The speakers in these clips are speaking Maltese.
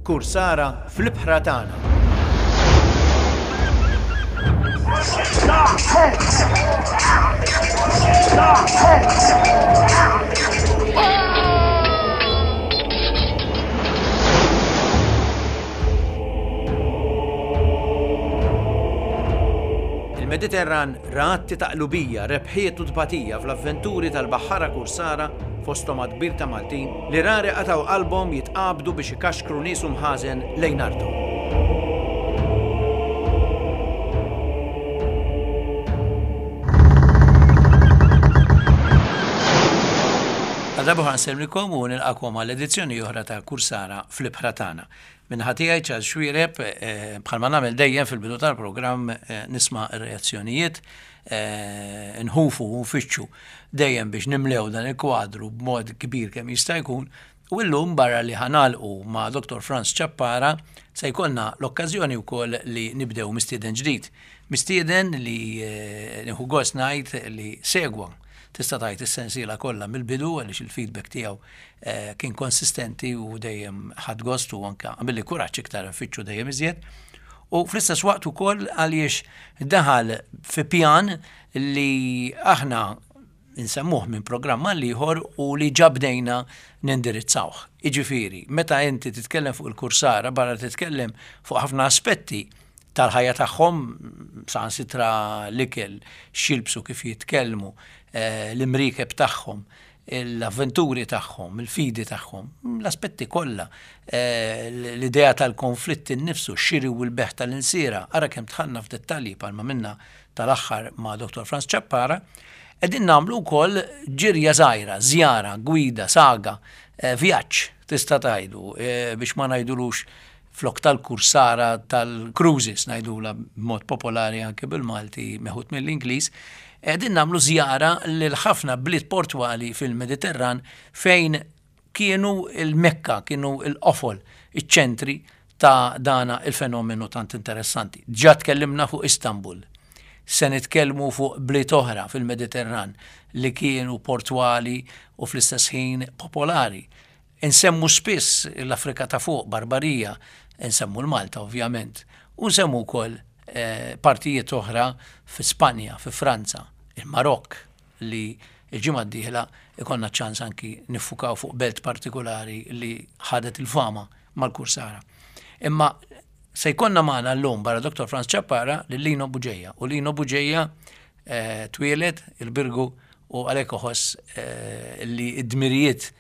Kursara fl-ibħra tagħna. Il-Mediterran ra atti ta' qlubija, rebħiet u tbatija fl-avventuri tal-baħħara kursara fosthom għadd kbir ta' Maltin li rari qatgħu qalbhom jitqabdu biex ikaxkru nies u mħażen lejn arthom. Għal darba oħra nsellmilkom u nilqakom għal edizzjoni oħra ta' Kursara fl-Ibħra Tagħna. Min-naħa tiegħi Charles Xuereb, bħalma nagħmel dejjem fil-bidu tal-programm nisma' r-reazzjonijiet, nħufu u nfittxu dejjem biex nimlew dan il-kwadru b'mod kbir kemm jista' jkun u llum barra li ħa nagħlqu ma' Dottor Frans Ciappara se jkollna l-okkażjoni wkoll li nibdew mistieden ġdid. Mistieden li nieħu gost ngħid li segwa tista' tgħid is-sensiela kollha mill-bidu għaliex il-feedback tiegħu kien konsistenti u dejjem ħadt gost u anke għamilli kuraġġ iktar nfittxu dejjem iżjed. U fl-istess waqt ukoll għaliex daħal fi pjan li aħna nsemmuh minn programm għal ieħor u li ġa bdejna nindirizzawh. Jiġifieri, meta inti titkellem fuq il-kursara barra titkellem fuq ħafna aspetti tal-ħajja tagħhom, saħansitra l-ikel, x'jilbsu, kif jitkellmu, l-imriekeb tagħhom, l-avventuri tagħhom, il-fidi tagħhom, l-aspetti kollha, l-idea tal-konflitt innifsu, x-xiri u l-bejgħ tal-insiera, ara kemm dħalna f'dettalji bħalma minna tal-aħħar ma' Dottor Frans Ciappara, qegħdin nagħmlu wkoll ġirja żgħira, żjara, gwida, saga, vjaġġ tista' tgħidu biex ma ngħidulux flok tal-kursara tal-cruises ngħidulha b'mod popolari anke bil-Malti meħud mill-Ingliż, qegħdin nagħmlu żjara lil ħafna bliet portwali fil-Mediterran fejn kienu l-Mekka, kienu l-qofol, iċ-ċentri ta' dana il-fenomenu tant interessanti. Ġa tkellimna fuq Istanbul. Se nitkellmu fuq bliet oħra fil-Mediterran li kienu portwali u fl-istess ħin popolari. Insemmu spiss l-Afrika ta' Fuq, Barbarija, insemmu l-Malta ovvjament, u nsemmu wkoll partijiet oħra fi Spanja, fi Franza, il-Marokk li l-ġimgħa d-dieħla ikollna ċ-ċans anki niffukaw fuq belt partikulari li ħadet il-fama mal-Kursara. Imma se jkollna magħna llum barra Dr. Frans Ciappara lil Lino Bugeja u Lino Bugeja twieled il-Birgu u għalhekk iħoss li d-dmirijiet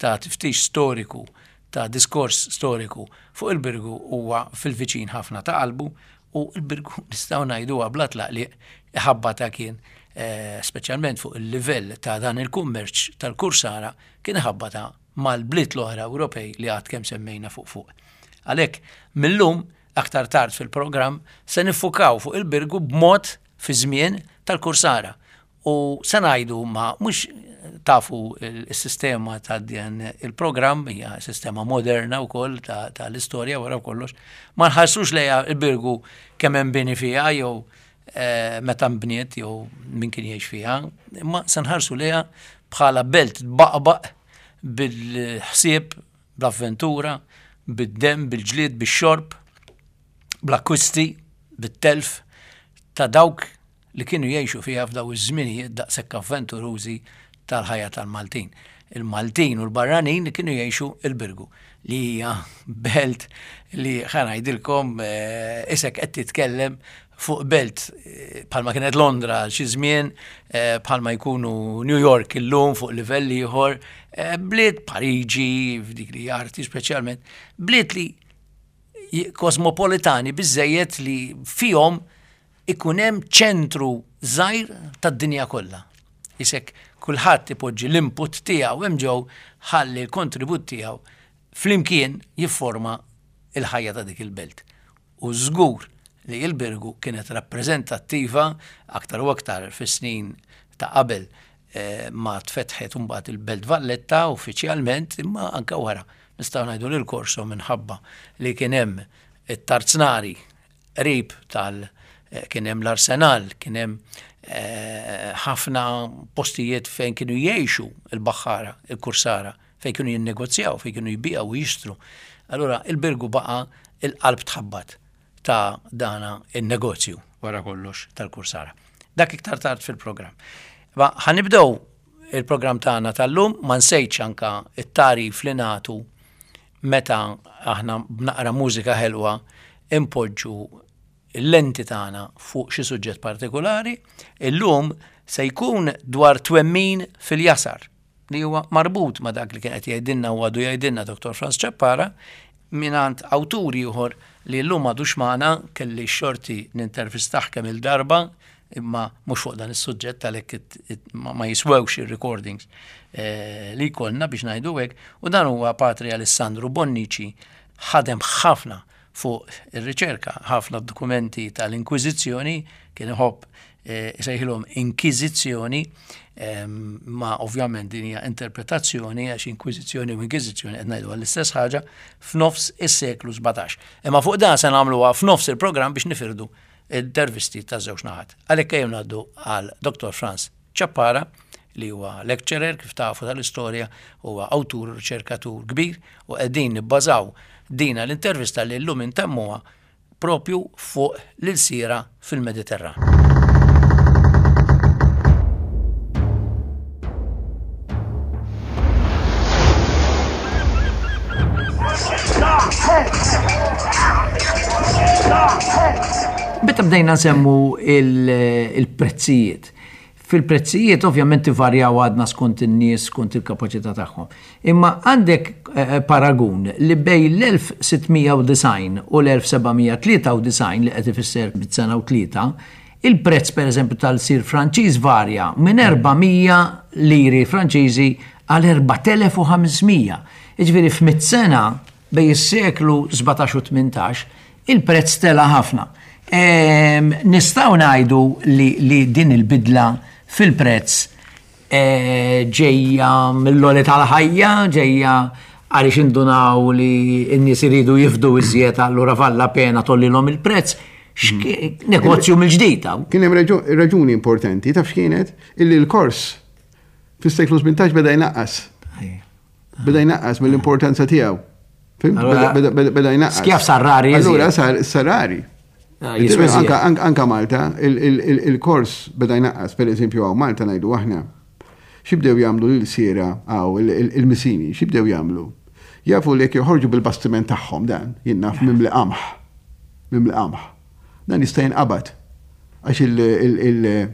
ta' tiftix storiku, ta' diskors storiku fuq il-Birgu huwa fil-viċin ħafna ta' qalbu u l-Birgu nistgħu ngħiduha bla tlaqliq iħabbatha kien speċjalment fuq il-livell ta' dan il-kummerċ tal-kursara kien iħabbatha mal-bliet l-oħra Ewropej li għad kemm semmejna fuq fuq. Għalhekk mil-lum aktar tard fil-programm se niffukaw fuq il-Birgu b'mod fi żmien tal-kursara U se ngħidu ma mhux tafu s-sistema ta' dan il-programm hija sistema moderna wkoll tal-istorja wara kollox, ma nħarsux lejha l-Birgu kemm hemm bini fiha jew eh, meta nbniet jew min kien jgħix fiha, imma se nħarsu lejha bħala belt tbaqbaq bil-ħsieb, bl-avventura, bid-demm, bil-ġlied, bix-xorb, bl-akkwisti, bit-telf ta' dawk li kienu jgħixu fiha f'daw iż-żminijiet daqshekk avventurużi tal-ħajja tal-Maltin. Il-Maltin u l-barranin li kienu jgħixu il-Birgu, li hija belt li ħa ngħidilkom eh, isek qed titkellem fuq belt eh, bħalma kienet Londra għal xi żmien, eh, bħalma jkunu New York illum fuq livell ieħor, bliet Pariġi, f'dik li arti speċjalment, bliet li kosmopolitani biżejjed li fihom ikun hemm ċentru żgħir tad-dinja kollha. Isek kulħadd ipoġġi l-input tiegħu hemm ġew ħalli l-kontribut tiegħu flimkien jifforma l-ħajja ta' dik il-belt. U żgur li l-Birgu kienet rappreżentattiva aktar u aktar fis-snin ta' qabel eh, ma tfetħet imbagħad il-Belt Valletta uffiċjalment imma anke wara nistgħu ngħidu li l-Korso minħabba li kien hemm it-tarznari qrib tal kien hemm l-arsenal, kien hemm eh, ħafna postijiet fejn kienu jgħixu il-baħħara, il-kursara, fejn kienu jinnegozjaw, fejn kienu jbiegħu u jixtru. Allura il-Birgu baqa' il-qalb tħabbat ta' dana in-negozju wara kollox tal-Kursara. Dak iktar tard fil-programm. Ma ħanibdew il-programm tagħna tal-lum ma nsejtx anka it-tarif li nagħtu meta aħna b'naqra mużika ħelwa impoġġu l-lenti tagħna fuq xi suġġett partikolari, illum se jkun dwar twemmin fil-jasar li huwa marbut ma' dak li kien qed jgħidilna u għadu jgħidilna Dr. Franz Ciappara mingħand awtur ieħor li llum m'għadux magħna, kelli x-xorti nintervistah kemm il-darba imma mhux fuq dan is-suġġett għalhekk ma jiswewx ir-recordings eh, li jkollna biex ngħidu hekk, u dan huwa Patri Alessandro Bonnici ħadem ħafna fuq ir-riċerka, ħafna dokumenti tal-Inkwiżizzjoni kien iħobb eh, isejħilhom inkwiżizzjoni, ma ovvjament din hija interpretazzjoni għax inkwiżizzjoni u inkwiżizzjoni qed ngħidu għall-istess ħaġa f'nofs is-seklu 17. Imma fuq dan se nagħmluha f'nofs il-programm biex nifirdu intervisti ta' żewġ naħat. Għalhekk ejjew ngħaddu għal Dr. Franz Ciappara li huwa lecturer kif tafu tal-istorja, huwa awtur u riċerkatur kbir u qegħdin nibbażaw dina l-intervista li llum intemmuha propju fuq l-ilsiera fil-Mediterran. Meta bdejna nsemmu il-prezzijiet, Fil-prezzijiet ovvjament ivarjaw għadna skont in-nies, skont il-kapaċità tagħhom. Imma għandek eh, paragun li bej l-1690 u l-1793 li qed ifisser bit-sena u tlieta, il-prezz pereżempju tal-sir Franċiż varja minn 400 liri Franċiżi għal 4500. Jiġifieri f'mitt sena bej is-seklu 17 u 18 Il-prezz tela' ħafna. Nistgħu ngħidu li din il-bidla fil-prezz eh, ġejja mill-għoli tal-ħajja, ġejja għaliex indunaw li n-nies iridu jifdu iżjed allura valla pena tollilhom il-prezz. Hmm. Negozju mill-ġdid. Kien hemm raġuni importanti, taf x'kienet? Illi l-kors fis-seklu 18 beda jnaqqas. Beda jnaqqas mill-importanza tiegħu. Beda jnaqqas. Skjaf sar rari. Allura sar rari. Ah, anka Malta, il-kors beda jnaqqas, per eżempju, għaw Malta najdu aħna. Xibdew jagħmlu l-siera għaw il-misini, xibdew jagħmlu? Jafu li jekk joħorġu bil-bastiment tagħhom dan, jinnaf mimli qamħ. Mimli qamħ. Dan jista' jinqabad. Għax il-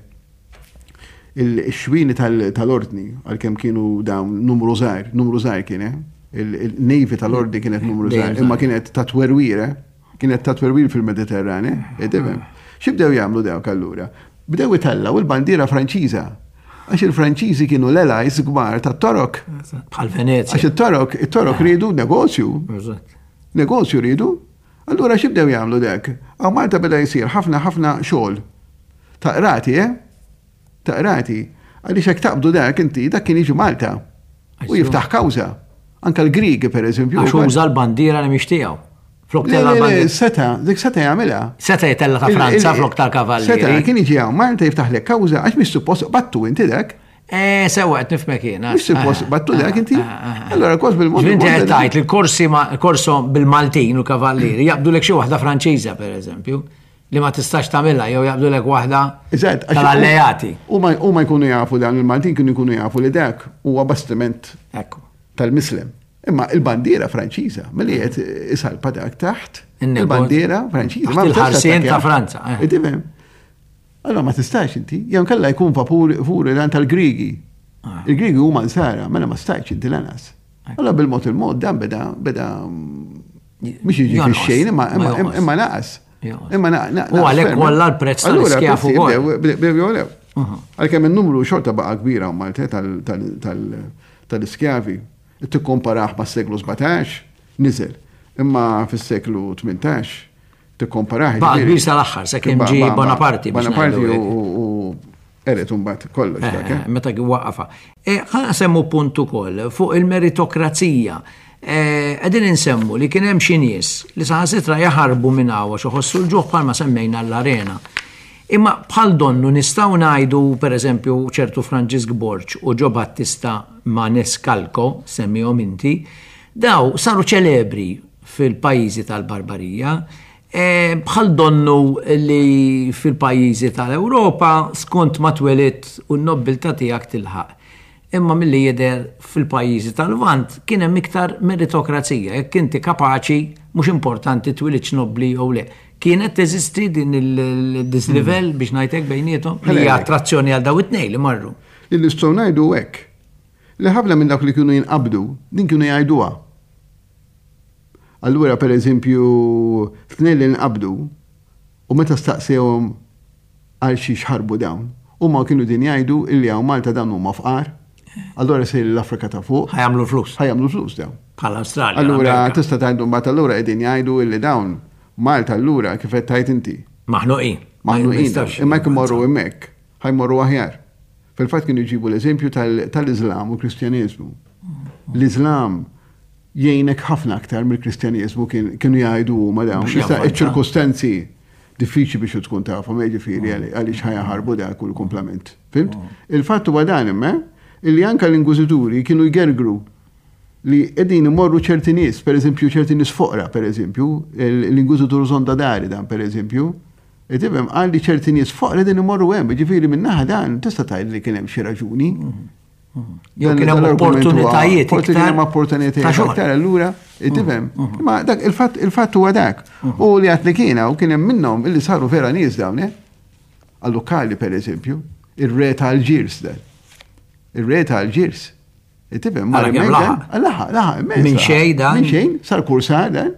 Il-xwieni tal-ordni, għalkemm kienu dawn numru żgħir, numru żgħir kien, eh? Il-Navy tal-ordni kienet numru żgħir, imma kienet ta' twerwir, eh? Kienet ta' twerwir fil-Mediterran, eh? Tifhem? X'ibdew jagħmlu dawk allura? Bdew itellgħu il-bandiera Franċiża. Għax il-Franċiżi kienu l-allies kbar tat-Torok. Bħal Venezia. Għax it-Torok, it-Torok riedu negozju. Negozju riedu. Allura x'ibdew jagħmlu dek? Hawn Malta beda jsir ħafna ħafna xogħol ta' qrati, eh? Ta' qrati. Għaliex hekk taqbdu dak inti, dak kien jiġi Malta u jiftaħ kawża. Anka l-Griegi pereżempju. Għax uża l-bandiera li mhix tiegħu. Flok tella l-bandiera. Seta, dik seta jagħmilha. Seta jtella ta' Franza flok tal-Kavallieri. Seta kien jiġi hawn Malta jiftaħlek kawża għax mhix suppost battu inti dak. Eh, sewa qed nifhmek jiena. Mhux suppost eh, battu dak inti. Eh, eh, Allora kos bil-mod. Inti qed tgħid li korsi ma korso bil-Maltin u kavallieri jaqbdu lek xi waħda Franċiża pereżempju li ma tistax tagħmilha jew jaqbdu lek waħda tal-alleati. U ma jkunu jafu dan il-Maltin kienu jkunu jafu li dak huwa bastiment tal-Mislem. Imma il-bandiera Franċiża, milli qed isalpa dak taħt il-bandiera Franċiża. Il-ħarsien ta' Franza. Allora ma tistax inti, jew kella jkun vapur furi lan tal-Grigi. Ah. Il-Grigi huma nsara, mela ma stajtx inti lanas. Allora bil-mod il-mod dan beda beda mhux jiġi fix-xejn imma imma naqas. Imma naqas. U għalhekk kollha l-prezz tal-iskjafu Bdew jolew. Għalkemm in-numru xorta baqa' kbira Malta tal-iskjavi. Tikkomparah mas-seklu 17 niżel. Imma fis-seklu 18 tikkomparah. Baqa' kbir sal-aħħar, sakemm ġie Bonaparte. Bonaparte u qered imbagħad kollox dak. Eh, eh? Meta kien waqafa. Eh, ħa nsemmu punt ukoll fuq il-meritokrazija. Qegħdin insemmu li kien hemm xi nies li saħansitra jaħarbu minn hawn għax iħossu l-ġuħ bħalma semmejna l-arena. Imma bħal donnu nistgħu ngħidu pereżempju ċertu Franġisk Borg u Ġo Battista Manescalco, semmihom inti, daw saru ċelebri. fil-pajjiżi tal-Barbarija. Bħal donnu li fil-pajjiżi tal-Ewropa skont ma twelidt u n-nobbiltà tiegħek tilħaq. Imma milli jidher fil-pajjiżi tal-Lvant kien hemm iktar meritokrazija, jekk inti kapaċi mhux importanti twilidx nobbli jew le. Kienet teżisti din il-dislivell biex ngħid hekk bejniethom li hija attrazzjoni għal daw it-tnejn li marru. Li nistgħu ngħidu hekk li ħafna minn dawk li kienu jinqabdu din kienu jgħiduha. Allura pereżempju tnejn li nqabdu u meta staqsewhom għal xiex ħarbu dawn, huma kienu din jgħidu illi hawn Malta dawn huma fqar, allura sejrin l-Afrika ta' fuq. Ħa jagħmlu l-flus. Ħa jagħmlu l-flus dawn. Bħal Awstralja. Allura tista' tgħidu mbagħad allura qegħdin jgħidu illi dawn Malta allura kif qed tgħid inti. Maħnuqin. Maħnuqin. Imma jekk imorru hemmhekk, ħa jmorru aħjar. Fil-fatt kienu jġibu l-eżempju tal-Iżlam u l-Kristjaneżmu. L-Iżlam jgħinek ħafna aktar mill-Kristjaneżmu kienu jgħidu huma dawn. Issa iċ-ċirkustanzi diffiċli biex tkun tafhom, jiġifieri mm. għaliex ħajaħarbu dak u l-kumplament. Fimt? Mm. Il-fatt huwa dan imma illi anke l-ingwiżituri kienu jgergru li qegħdin imorru ċerti nies, pereżempju ċerti nies foqra, pereżempju, l-ingwiżitur Zonda Dari dan pereżempju, tifhem qal li ċerti nies foqra qegħdin imorru hemm, jiġifieri min-naħa dan tista' tgħid li kien hemm xi raġuni. Jew kien hemm opportunitajiet. Forsi kien hemm opportunitajiet aktar allura, tifhem. Ma dak il-fatt il-fatt huwa dak. U li għad li kien u kien hemm minnhom illi saru vera nies dawn, eh? Għal-lokali pereżempju, ir-re tal-ġirs dan. Ir-re tal-ġirs. Tifhem, ma laħaq. Laħaq, laħaq, Minn xejn dan. Minn xejn, sar kursar dan.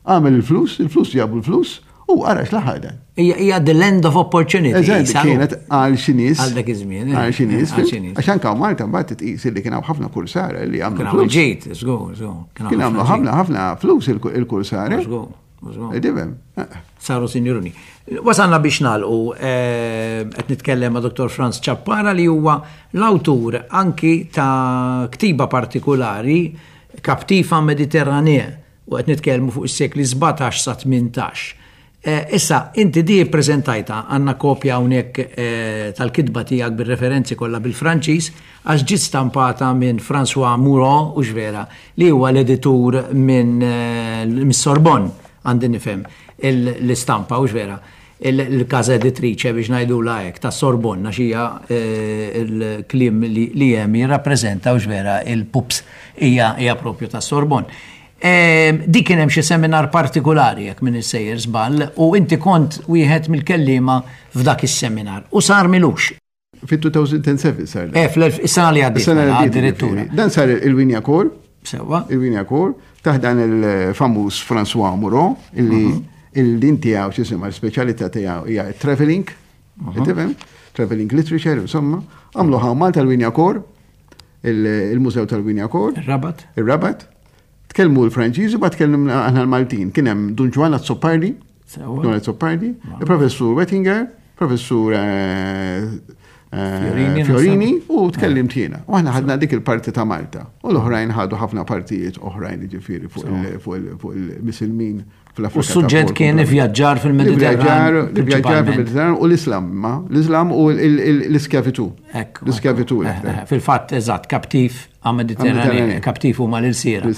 Għamel il-flus, il-flus ġabu l-flus, u ara x'laħaq dan. Hija the land of opportunity. Eżatt, kienet għal xi nies. Għal dak iż-żmien. Eh, għal xi nies. Għax anke Malta mbagħad titqis li kien hawn ħafna kursara li għamlu. Kien ġejt, żgur, żgur. Kien għamlu ħafna ħafna flus il-kursara. Żgur. Tifhem. Saru sinjuruni. Wasalna biex nagħlqu eh, qed nitkellem ma' Dr. Franz Ċappara li huwa l-awtur anki ta' ktiba partikolari Captiva Mediterranee u qed nitkellmu fuq is-sekli 17 sa 18. Eh, issa, inti di ppreżentajta għandna kopja hawnhekk eh, tal-kitba tiegħek bir-referenzi kollha bil-Franċiż għax ġiet stampata minn François Mouron u vera li huwa l-editur minn eh, mis-Sorbonne għandi nifhem l-istampa u vera il-casa editrice biex ngħidulha hekk ta' Sorbonne għax hija eh, il-kliem li hemm jirrappreżenta u vera il-pups hija hija propju ta' Sorbonne. Eh, dik kien hemm xi seminar partikolari jekk minn sejjer żball u inti kont wieħed mill-kelliema f'dak is-seminar u sar milux. Fit-2007 sar. Eh, fl-sena li għaddiet. Sena li mela, għaddiet. Addirittura. Dan sar il-Winja Kor. Sewa. Il-Winja Kor, taħt dan il-famuż François Moreau, illi mhm. il-din tiegħu x'jisimha l-speċjalità tiegħu hija traveling. Mhm. Tifhem? Traveling literature, insomma. Għamlu ħaw Malta l-Winja Kor, il-Mużew tal-Winja Kor. Il-Rabat. Il-Rabat. Tkellmu l-Franċiżi, ba tkellimna aħna l-Maltin. Kien hemm Dun Ġwann Azzopardi, Dun Azzopardi, il-Professur Wettinger, Professur eh, eh, Fiorini u tkellimt jiena. U aħna ħadna dik il-parti ta' Malta. U l-oħrajn ħadu ħafna partijiet oħrajn ġifieri fuq il-Misilmin fl-Afrika. U s-suġġett kien ivvjaġġar fil-Mediterran. Ivvjaġġar fil-Mediterran u l-Islam, ma l-Islam u l-iskjavitu. L-iskjavitu. Eh, eh, fil-fatt, eżatt, kaptiv għal-Mediterran, kaptiv huma l-ilsiera.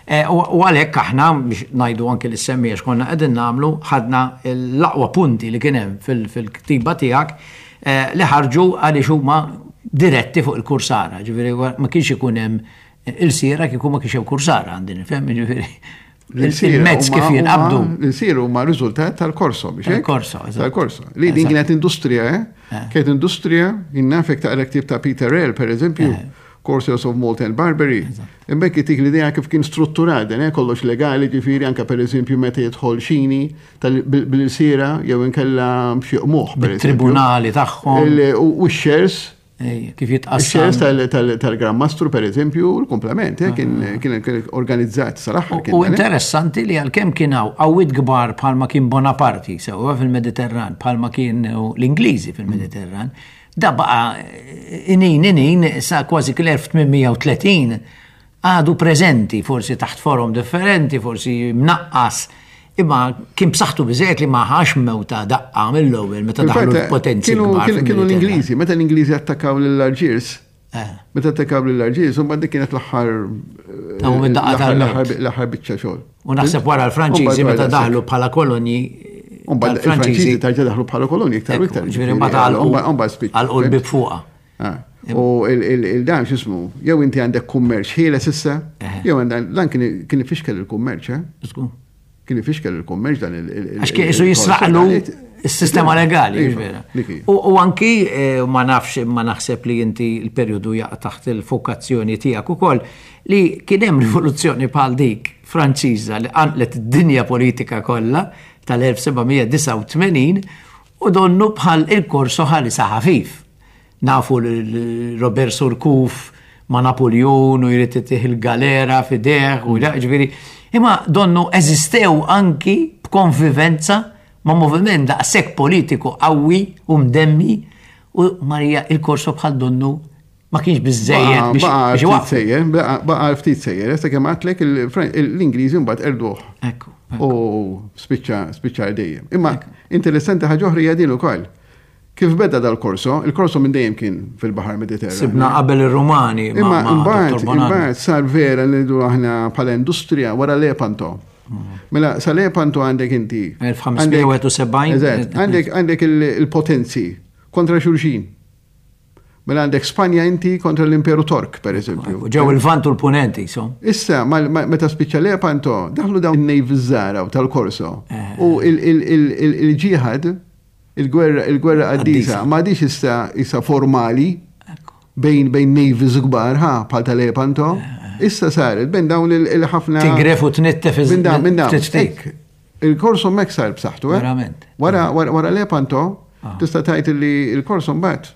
Eh, u għalhekk aħna biex ngħidu anke li semmi għax konna qegħdin nagħmlu ħadna l-aqwa punti li kien hemm fil-ktiba tiegħek li ħarġu għaliex huma diretti fuq il-kursara, ġifieri ma kienx ikun hemm ilsiera kieku ma kienx hemm kursara għandi nifhem, ġifieri. Il-mezz kif jinqabdu. L-ilsiera huma riżultat tal-korso, biex Tal-korso, Tal-korso. Li din kienet industrija, eh? eh. Kienet industrija, jinnafek taqra ktib ta' Peter Rell, per eżempju, eh. Corsairs of Malta and Barbary. Imbekk itik l-idea kif kien strutturat, eh, kollox legali, ġifieri anka per eżempju meta jidħol xini bil-ilsiera jew inkella xi qmuħ. Tribunali tagħhom. U x-shares Kif jitqassam. Ix-shares tal-Gran Mastru, per eżempju, l-komplement, eh, ah. kien organizzat sal-aħħar. U interessanti li għalkemm kien hawn qawwiet kbar bħalma kien Bonaparte sewwa fil-Mediterran, bħalma kien l-Ingliżi fil-Mediterran, da baqa eh, inin inin sa kważi l-1830 għadu preżenti, forsi taħt forom differenti, forsi mnaqqas, imma kien b'saħħtu biżejjed li ma ħax mewta daqqa mill-ewwel meta daħlu l-potenzi. Kienu l-Ingliżi, meta l-Ingliżi attakkaw lill-Alġiers, eh. meta attakkaw lill-Alġiers, imbagħad dik kienet l-aħħar eh, Tahom id-daqqa tal-mewt. L-aħħar biċċa xogħol. U naħseb wara l-Franċiżi meta daħlu bħala kolonji. Mbagħad il-Franċiżi tarġa' daħlu bħala kolonji iktar u iktar. Ġifieri mbagħad għalqu l-bib fuqha. Ah. U il-dan x'ismu, jew inti għandek kummerċ ħieles issa, jew dan kien ifixkel il-kummerċ, eh? Kien ifixkel il-kummerċ dan il- Għax kien isu jisraqlu s-sistema legali, vera. U anki eh, ma nafx ma naħseb li inti l-perjodu jaqa' taħt il-fokazzjoni tiegħek ukoll li kien hemm rivoluzzjoni bħal dik Franċiża li qanqlet id-dinja politika kollha tal-1789 u donnu bħal il-korso ħalisa ħafif. Nafu lil Robert Surcouf ma' Napuljun u jrid itih il-galera f'idejh u ġifieri. Imma donnu eżistew anki b'konvivenza ma' moviment daqshekk politiku qawwi u mdemmi u Marija il-Korso bħal donnu ma kienx biżejjed biex Baqa' sejjer, baqa' ftit sejjer, issa kemm għadtlek l-Ingliżi mbagħad erduh. Ekku. U spiċċa spiċċa dejjem. Imma interessanti ħaġa oħra hija din ukoll. Kif beda dal-korso? Il-korso minn dejjem kien fil-Baħar Mediterran. Sibna qabel ir-Rumani. Imma imbagħad imbagħad sar vera li ngħidu aħna bħala industrija wara Lepanto. Mm. Mela sa Lepanto għandek inti. 1571. Eżatt, għandek għandek il-potenzi kontra xulxin. Mela għandek Spanja inti kontra l-Imperu Tork, per eżempju. Ġew il-Vant u l-Punenti, so. Issa, meta spiċċa Lepanto, daħlu dawn in-navy żgħara tal-Korso. Eh. U il-ġihad, il-gwerra il-gwerra qaddisa, ma għadix issa issa formali bejn bejn navies kbar, ha, bħal ta' Lepanto. Eh. Issa saret bejn dawn il-ħafna. Tigref u tnittef Minn dawn, minn dawn. Il-Korso mek sar b'saħħtu, eh? Verament. Wara, wara Lepanto, ah. tista' tgħid li il-Korso mbagħad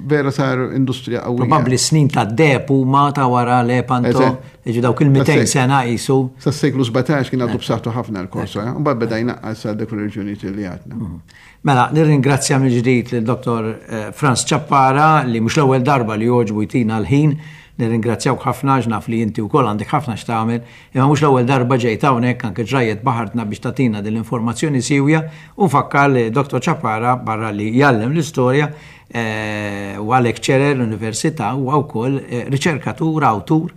vera sar industrija qawwija. Probabbli snin ta' deb huma ta' wara Lepanto, jiġu dawk il-200 sena qisu. Sas-seklu 17 kien għadu b'saħħtu ħafna l-Korso, eh? mbagħad beda jnaqqas għal dak ir-reġjunijiet li għadna. Mhm. Mela, nirringrazzja mill-ġdid lil Dr. Eh, Franz Ciappara li mhux l-ewwel darba li jogħġbu jtina l-ħin. Nirringrazzjawk ħafna għax naf li inti wkoll għandek ħafna x'tagħmel Imma mhux l-ewwel darba ġejt hawnhekk anke ġrajjet baħartna biex tagħtina din l-informazzjoni siewja u nfakkar li Dottor Ciappara barra li jgħallem l-istorja eh, huwa lecturer l-università huwa wkoll eh, riċerkatur, awtur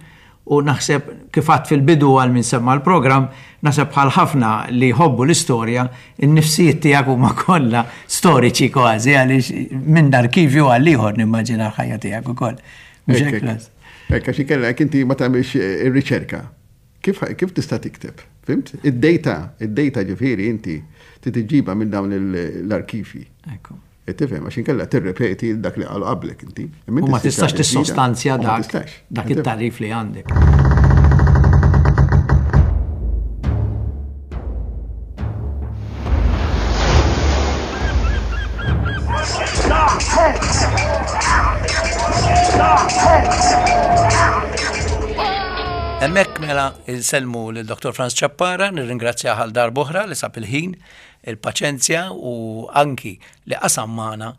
u naħseb kif għadt fil-bidu għal min semma l-programm, naħseb bħal ħafna li jħobbu l-istorja, in-nifsijiet tiegħek huma kollha storiċi kważi għaliex minn arkivju għal ieħor nimmaġina l-ħajja tiegħek ukoll. Mhux hekk, Frans? Hekk għax inkella jekk inti ma tagħmilx eh, ir-riċerka, kif, kif tista' tikteb? Fimt? Id-data, id-data ġifieri inti trid iġġibha minn dawn l-arkivji. Ekku. Qed tifhem għax inkella tirrepeti dak li qalu qablek inti. U ma tistax tissostanzja dak dak it-tarif li għandek. Hemmhekk mela insellmu lil Dr. Franz Ciappara, nirringrazzjah għal darb'oħra li sab il-ħin, il-paċenzja u anki li qasam magħna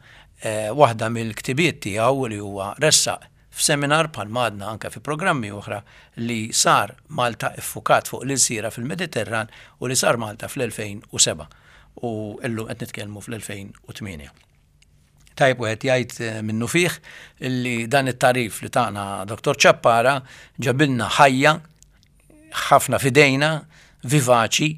eh, waħda mill-ktibiet tiegħu li huwa ressaq f'seminar bħalma għadna anke fi programmi oħra li sar Malta iffukat fuq l-ilsiera fil-Mediterran u li sar Malta fl-2007 u illum qed nitkellmu fl-2008. Tajjeb wieħed jgħid eh, minnu fih li dan it-tarif li tagħna Dr. Ciappara ġabilna ħajja ħafna f'idejna vivaċi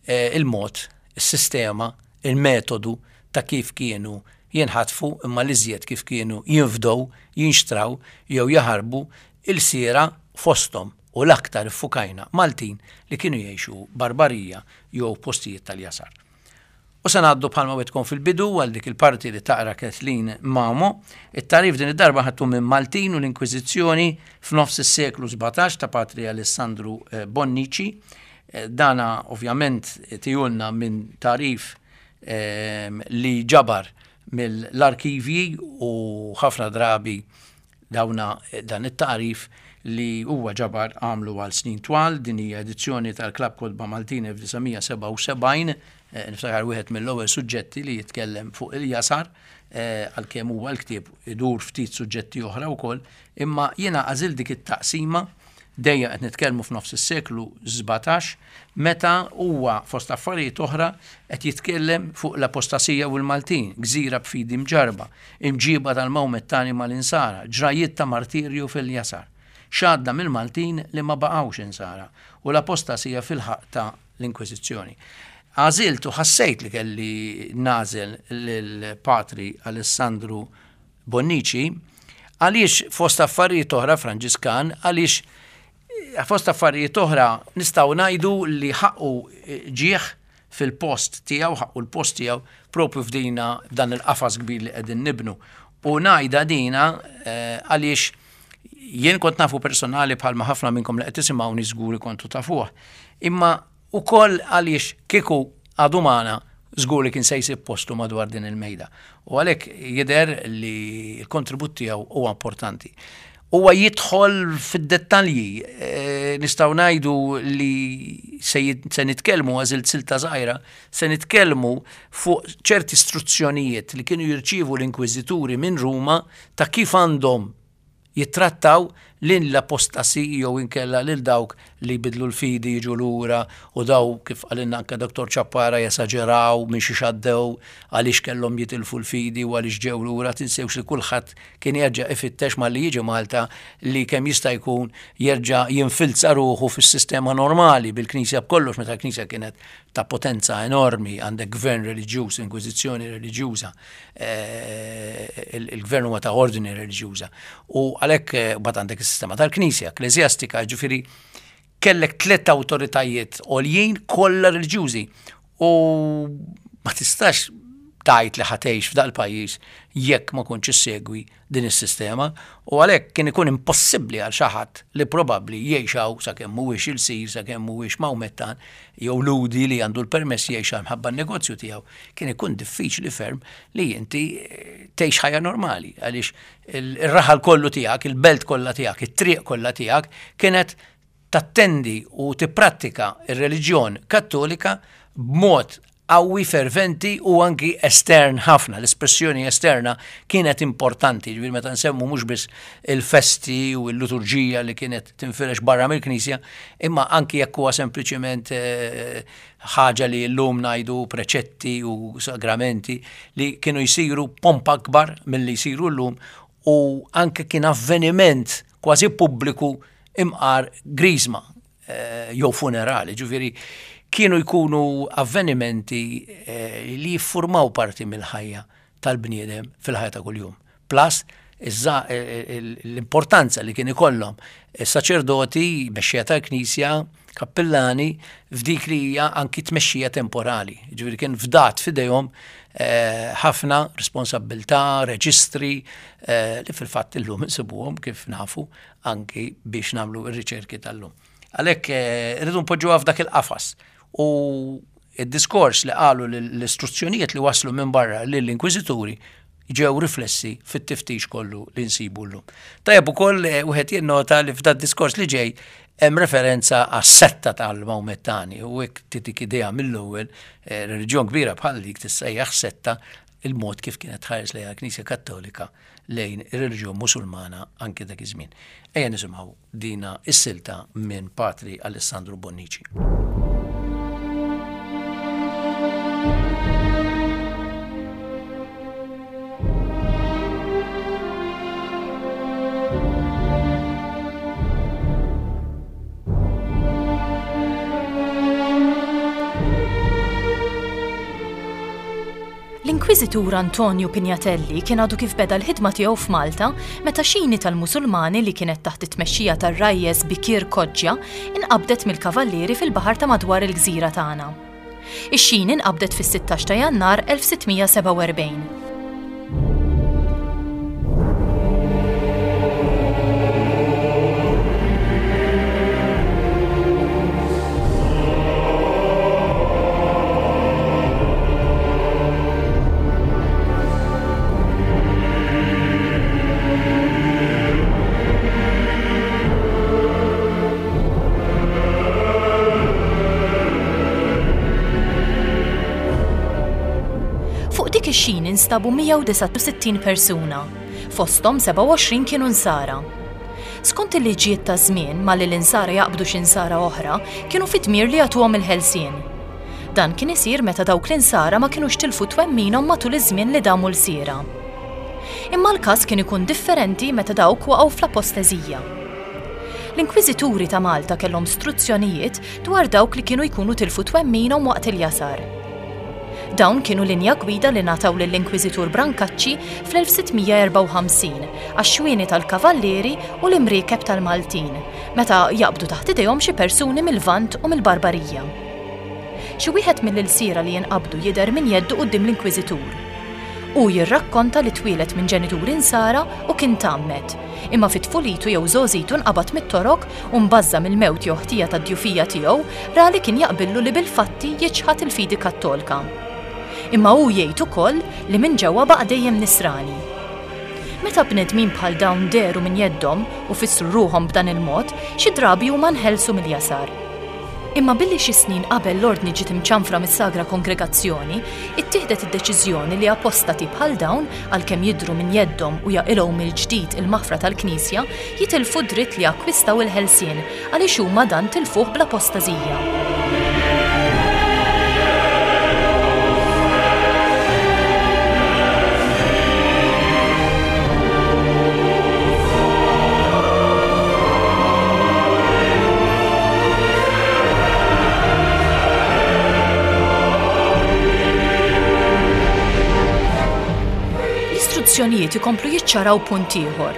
eh, il-mod, is-sistema, il-metodu ta' kif kienu jinħatfu imma l-iżjed kif kienu jinfdow, jinxtraw jew jaħarbu ilsiera fosthom u l-aktar iffukajna Maltin li kienu jgħixu barbarija jew postijiet tal-jasar. U se ngħaddu bħalma wegħdtkom fil-bidu għal dik il-parti li taqra Kathleen Mamo. It-tagħrif din id-darba ħadtu minn Maltin u l-Inkwiżizzjoni f'nofs is-seklu 17 ta' Patri Alessandru eh, Bonnici. Eh, dana ovvjament tijulna minn tagħrif ehm, li ġabar mill-arkivji u ħafna drabi Dawna dan it-tagħrif li huwa ġabar għamlu għal snin twal, din hija edizzjoni tal-Klabb Kotba Maltin 1977, eh, niftakar wieħed mill-ewwel suġġetti li jitkellem fuq il-jasar, eh, għalkemm huwa l-ktieb idur ftit suġġetti oħra wkoll, imma jiena għażilt dik it-taqsima Dejjem qed nitkellmu f'nofs is-seklu 17, meta huwa fost affarijiet oħra qed jitkellem fuq l-apostasija u l-Maltin, gżira b'fidi mġarrba, imġieba tal-Mawmettani mal-Insara, ġrajjiet ta' martirju fil-jasar. X'għadda mill-Maltin li ma baqgħux Insara u l-apostasija fil-ħaqq ta' l-Inkwiżizzjoni. Għażilt u ħassejt li kelli nagħżel lil Patri Alessandru Bonnici għaliex fost affarijiet oħra Franġiskan għaliex eh, fost affarijiet oħra nistgħu ngħidu li ħaqqu eh, ġieħ fil-post tiegħu, ħaqqu l-post tiegħu propju f'dina f'dan il-qafas kbir li qegħdin nibnu. U ngħidha dina eh, għaliex jien kont nafu personali bħalma ħafna minnkom li qed tisimgħuni żgur kontu tafuh. Imma ukoll għaliex kieku għadu magħna żgur li kien se jsib postu madwar din il-mejda. U għalhekk jidher li l-kontribut tiegħu huwa importanti. Huwa jidħol fid-dettalji, eh, nistgħu ngħidu li se nitkellmu għażilt silta żgħira, se nitkellmu fuq ċerti istruzzjonijiet li kienu jirċievu l-inkwiżituri minn Ruma ta' kif għandhom jittrattaw lill-apostasi jew inkella lil dawk li jbiddlu l-fidi jiġu lura u daw kif qalilna anke Dottor Ciappara jesaġeraw minn xiex għaddew għaliex kellhom jitilfu l-fidi u għaliex ġew lura tinsewx li kulħadd kien jerġa' ifittex malli jiġi Malta li kemm jista' jkun jerġa' jinfilza ruħu fis-sistema normali bil-Knisja b'kollox meta l-Knisja kienet ta' potenza enormi għandek gvern reliġjuż, inkwiżizzjoni reliġjuża. Eh, il-gvern huwa ta' ordni reliġjuża. U għalhekk eh, bat għandek is-sistema tal-Knisja, ekkleżjastika, ġifieri kellek tliet awtoritajiet għoljin kollha reliġjużi. U ma tistax tajt li ħatejx f'dal pajjiż jekk ma kontx issegwi din is-sistema u għalhekk kien ikun impossibbli għal xi ħadd li probabbli jgħix hawn sakemm mhuwiex ilsir, sakemm mhuwiex Mawmettan jew Lhudi li għandu l-permess jgħix hawn mħabba n-negozju tiegħu, kien ikun diffiċli ferm li inti eh, tgħix ħajja normali għaliex ir-raħal kollu tiegħek, il-belt kollha tiegħek, it-triq kollha tiegħek kienet tattendi u tipprattika r-reliġjon Kattolika b'mod qawwi, ferventi u anki estern ħafna. L-espressjoni esterna kienet importanti, ġifieri meta nsemmu mhux biss il-festi u l-liturġija li kienet tinfirex barra mill-Knisja, imma anki jekk huwa sempliċement eh, ħaġa li llum ngħidu preċetti u sagramenti li kienu jsiru pompa akbar milli jsiru llum u anke kien avveniment kważi pubbliku imqar griżma eh, jew funerali, ġifieri kienu jkunu avvenimenti eh, li jiffurmaw parti mill-ħajja tal-bniedem fil-ħajja ta' kuljum. Plus, eh, l-importanza li kien ikollhom is-saċerdoti, mexxija tal-Knisja, kappillani, f'dik li hija anki tmexxija temporali. Ġifieri kien fdat f'idejhom ħafna responsabbiltà, reġistri li fil-fatt illum insibuhom kif nafu anki biex nagħmlu r-riċerki tal-lum. Għalhekk eh, irridu npoġġuha f'dak il-qafas u id-diskors li qalu l-istruzzjonijiet li waslu minn barra lill-inkwiżituri ġew riflessi fit-tiftix kollu li nsibu llum. Tajjeb ukoll eh, wieħed jinnota li f'dat diskors li ġej hemm referenza għas-setta tal-Mawmettani u hekk titik idea mill-ewwel eh, reliġjon kbira bħal dik tissejjaħ setta il-mod kif kienet tħares lejha l-Knisja Kattolika lejn ir-reliġjon Musulmana anki dak iż-żmien. Ejja nisimgħu dina is-silta minn Patri Alessandro Bonnici. L-Inkwiżitur Antonio Pignatelli kien għadu kif beda l-ħidma tiegħu f'Malta meta xini tal-Musulmani li kienet taħt it-tmexxija tar-Rajjes Bikir Kodġja inqabdet mill-Kavallieri fil-baħar ta' madwar il-gżira tagħna. Ix-xini nqabdet fis-16 ta' Jannar 1647. Fuq dik ix-xini nstabu 169 persuna, fosthom 27 kienu nsara. Skont il-liġijiet taż-żmien, malli l-Insara jaqbdu xi Nsara oħra, kienu fid-dmir li jagħtuhom il-ħelsien. Dan kien isir meta dawk l-Insara ma kinux tilfu twemminhom matul iż-żmien li damu lsiera. Imma l-każ kien ikun differenti meta dawk waqgħu fl-aposteżija. L-Inkwiżituri ta' Malta kellhom struzzjonijiet dwar dawk li kienu jkunu tilfu twemminhom waqt il-jasar. Dawn kienu linja gwida li ngħataw lill-Inkwiżitur Brancacci fl-1654 għax-xwieni tal-Kavallieri u l-imriekeb tal-Maltin meta jaqbdu taħt idejhom xi persuni mil-Lvant u mill-Barbarija. Xi wieħed mill-ilsiera li jinqabdu jidher minn jeddu quddiem l-Inkwiżitur. Hu jirrakkonta li twieled minn ġenituri Nsara u kien tgħammed, imma fi tfulitu jew żgħożitu nqabad mit-Torok u mbażża' mill-mewt jew ħtija tad-djufija tiegħu, ra li kien jaqbillu li bil-fatti jiċħad il-fidi Kattolka. Imma hu jgħid ukoll li minn ġewwa baqa' dejjem Nisrani. Meta bnedmin bħal dawn dehru minn jeddhom u fissru ruħhom b'dan il-mod, xi drabi huma nħelsu mill-jasar. Imma billi xi snin qabel l-Ordni ġiet imċanfra mis-Sagra Kongregazzjoni, ittieħdet id-deċiżjoni li apostati bħal dawn, għalkemm jidhru minn jeddhom u jaqilgħu mill-ġdid il-maħfra tal-Knisja, jitilfu d-dritt li jakkwistaw il-ħelsien għaliex huma dan tilfuh bl-apostażija. L-istruzzjonijiet ikomplu jiċċaraw punt ieħor.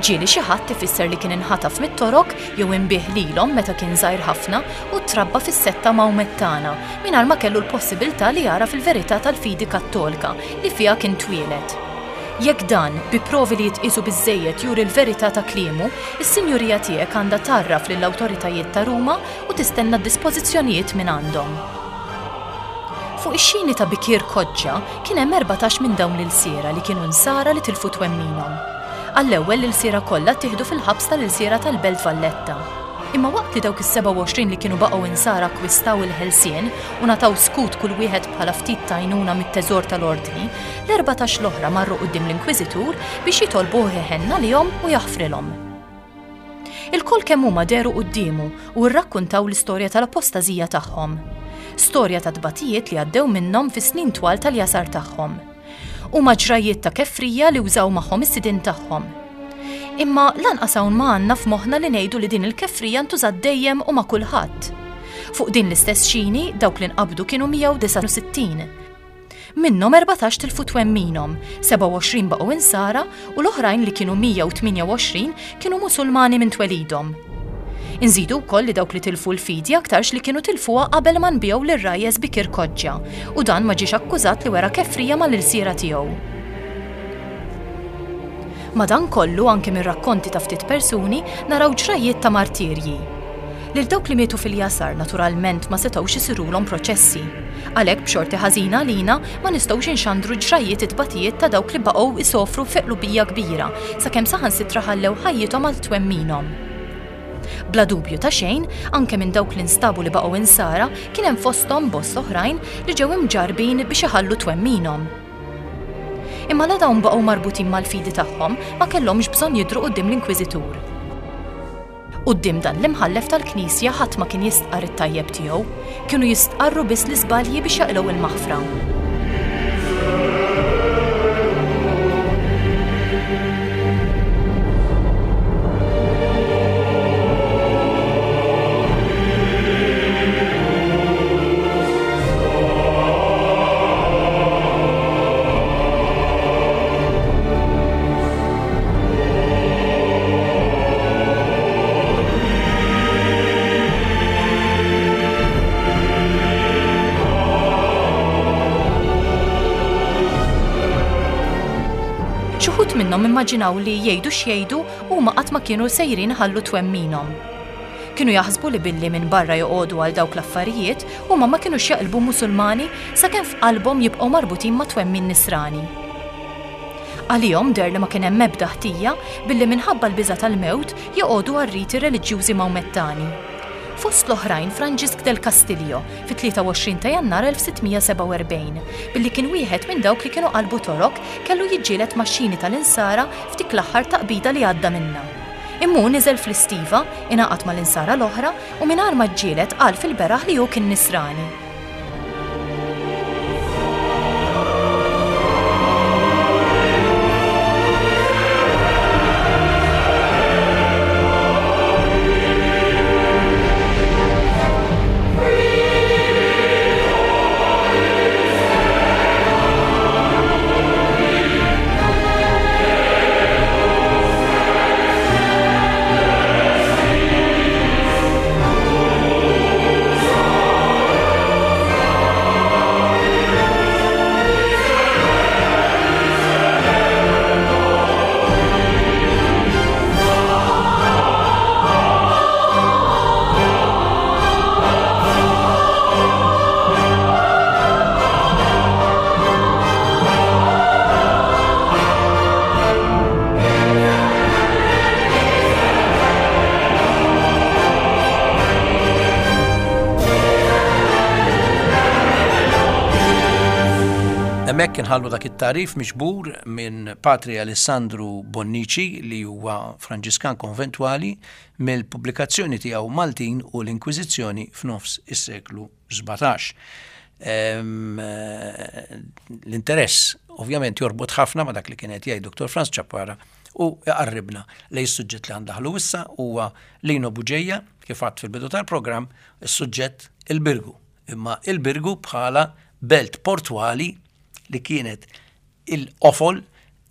Ġieli xi ħadd ifisser li kien inħataf mit-Torok jew inbiegħ lilhom meta kien żgħir ħafna u trabba fis-setta Mawmettana mingħajr ma kellu l-possibilità li jagħraf il-verità tal-fidi Kattolka li fiha kien twieled. Jekk dan, bi provi li jitqiesu biżżejjed juri l-verità ta' kliemu, is-Sinjurija tiegħek għandha tgħarraf lill-awtoritajiet ta' Ruma u tistenna d-dispożizzjonijiet mingħandhom. Fuq ix-xini ta' Bikir Kodġa kien hemm 14 minn dawn l-ilsiera li kienu Nsara li tilfu twemminhom. Għall-ewwel l-ilsiera kollha ttieħdu fil-ħabs tal-ilsiera tal-Belt Valletta. Imma waqt li dawk is-27 li kienu baqgħu Insara akkwistaw il-ħelsien u ngħataw skut kull wieħed bħala ftit t'għajnuna mit-teżor tal-Ordni, l-14 l-oħra marru quddiem l-Inkwiżitur biex jitolbuh iħenn għalihom u jaħfrilhom. Ilkoll kemm huma dehru quddiemu u rrakkuntaw l-istorja tal-apostażija tagħhom. Storja ta' tbatijiet li għaddew minnhom fis-snin twal tal-jasar tagħhom. Huma ġrajjiet ta' kefrija li wżaw magħhom is-sidien tagħhom. Imma lanqas hawn ma għandna f'moħħna li ngħidu li din il-kefrija ntużat dejjem u ma' kulħadd. Fuq din l-istess xini, dawk li nqabdu kienu 169. Minnhom 14 tilfu twemminhom, 27 baqgħu Insara u l-oħrajn li kienu 128 kienu Musulmani minn twelidhom. Inżidu wkoll li dawk li tilfu l-fidi aktarx li kienu tilfuha qabel ma nbiegħu lir-rajjes bi Kirkoġġa u dan ma ġiex akkużat li wera kefrija mal-ilsiera tiegħu. Madankollu, anke mir-rakkonti ta' ftit persuni, naraw ġrajjiet ta' martirji. Lil dawk li mietu fil-jasar naturalment ma setgħux isirulhom proċessi. Għalhekk b'xorti ħażina għalina ma nistgħux inxandru ġrajjiet it-tbatijiet ta' dawk li baqgħu isofru fi qlubija kbira sakemm saħansitra ħallew ħajjithom għal twemminhom. Bla dubju ta' xejn, anke minn dawk li nstabu li baqgħu insara kien hemm fosthom bosta oħrajn li ġew imġarrbin biex iħallu twemminhom. Imma la dawn baqgħu marbutin mal-fidi tagħhom ma kellhomx bżonn jidhru quddiem l-Inkwiżitur. Quddiem dan l-imħallef tal-Knisja ħadd ma kien jistqarr it-tajjeb tiegħu, kienu jistqarru biss l-iżbalji biex jaqilgħu l-maħfra. Xi wħud minnhom immaġinaw li jgħidu x'jgħidu huma qatt ma kienu sejrin iħallu twemminhom. Kienu jaħsbu li billi minn barra joqogħdu għal dawk l-affarijiet, huma ma kinux jaqilbu Musulmani sakemm f'qalbhom jibqgħu marbutin ma' twemmin Nisrani. Għalihom deher li ma kien hemm ebda ħtija billi minħabba l-biża' tal-mewt joqogħdu għar-riti reliġjużi Mawmettani. Fost l-oħrajn Franġisk del Castillo fit-23 ta' Jannar 1647, billi kien wieħed minn dawk li kienu qalbu Torok kellu jiġġieled max-xini tal-Insara f'dik l-aħħar taqbida li għadda minnha. Imma hu niżel fl-istiva, ingħaqad mal-Insara l-oħra u mingħajr ma ġġieled qal fil-beraħ li hu kien Nisrani. Hemmhekk inħallu dak it-tagħrif miġbur minn Patri Alessandru Bonnici li huwa Franġiskan Konventwali mill-pubblikazzjoni tiegħu Maltin u l-Inkwiżizzjoni f'nofs is-seklu 17. L-interess ovvjament jorbot ħafna ma' dak li kien qed jgħid Dr. Franz Ciappara u iqarribna lejn is-suġġett li għandaħlu issa huwa Lino Bugeja kif għadt fil-bidu tal-programm is-suġġett il-Birgu. Imma il-Birgu bħala belt portwali li kienet il-qofol,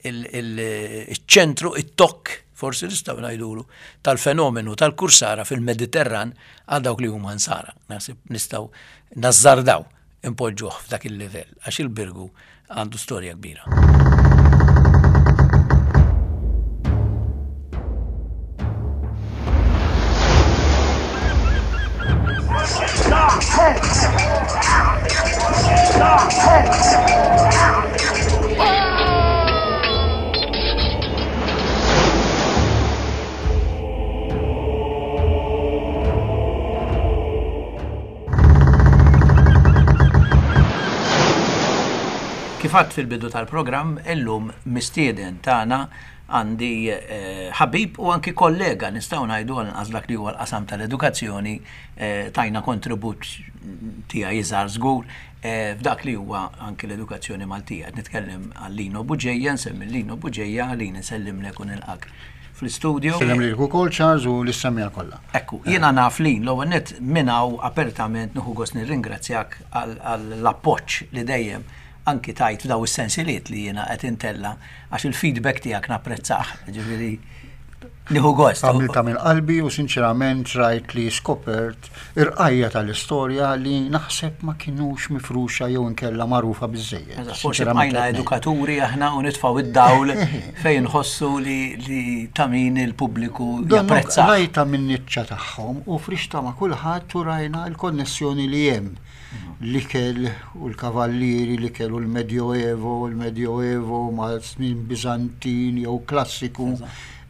iċ-ċentru, it-tokk, forsi nistgħu ngħidulu, tal-fenomenu tal-kursara fil-Mediterran għal dawk li huma nsara. Naħseb nistgħu nażżardaw impoġġuh f'dak il-livell għax il-Birgu għandu storja kbira. Kif għadt fil-bidu tal-programm, illum mistieden tagħna għandi eh, ħabib u anki kollega nistgħu ngħidu għal inqas dak li huwa l-qasam tal-edukazzjoni eh, tajna kontribut tiegħi iżgħar żgur eh, f'dak li huwa anki l-edukazzjoni Maltija. Qed nitkellem għal Lino Buġeja, nsemmi Lino Buġeja, Lino nsellimlek u nilqak fl-istudio. Sellem lilek ukoll Charles u lis-semmiegħa kollha. Ekku, jiena naf Lin, l-ewwel nett minn hawn apertament nieħu gost nirringrazzjak għall-appoġġ li dejjem anki tajt f'daw is-sensiliet li jiena qed intella' għax il-feedback tiegħek napprezzah, ġifieri nieħu gost. Għamiltha minn qalbi u sinċerament rajt li skopert irqajja tal-istorja li naħseb ma kinux mifruxa jew inkella magħrufa biżżejjed. Forsi bqajna edukaturi aħna u nitfgħu id-dawl fejn nħossu li ta' min il-pubbliku japprezza. Rajta minn niċċa tagħhom u frixta ma' kulħadd u rajna l-konnessjoni li hemm l-ikel u l-kavallieri, l-ikel u l-Medjoevo, l-Medjoevo ma' snin Biżantin jew klassiku.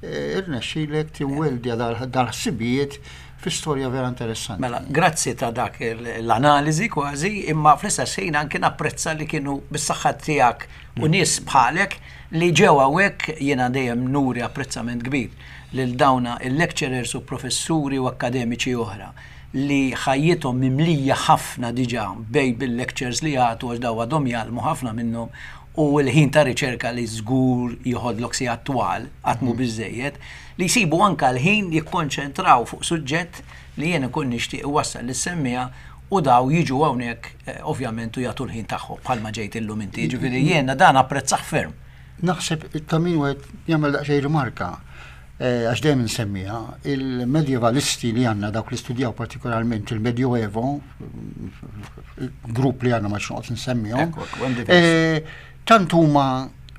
Eh, irnexxilek tiweldja dal-ħsibijiet fi storja vera interessanti. Mela, grazzi ta' dak l-analiżi kważi, imma fl-istess ħin anke napprezza li kienu bis-saħħa tiegħek u mm. nies bħalek li ġew hawnhekk jiena dejjem nuri apprezzament kbir lil dawna il-lecturers u professuri u akademiċi oħra li ħajjithom mimlija ħafna diġà bejn bil-lectures li jagħtu għax daw għadhom jgħallmu ħafna minnhom u l-ħin ta' riċerka li żgur jieħodlok sigħat twal qatt mhu biżżejjed, li jsibu anke l-ħin jikkonċentraw fuq suġġett li jien inkun nixtieq iwassal lis-semmiegħa u daw jiġu hawnhekk ovvjament u jagħtu l-ħin tagħhom bħalma ġejt illum inti. Jiġifieri jiena dan apprezzah ferm. Naħseb ta' min wieħed jagħmel daqsxejn rimarka għax dejjem insemmiha, il-medjevalisti li għandna dawk li studjaw partikolarment il-Medjoevo, grupp li għandna ma noqgħod nsemmihom, eh, tant huma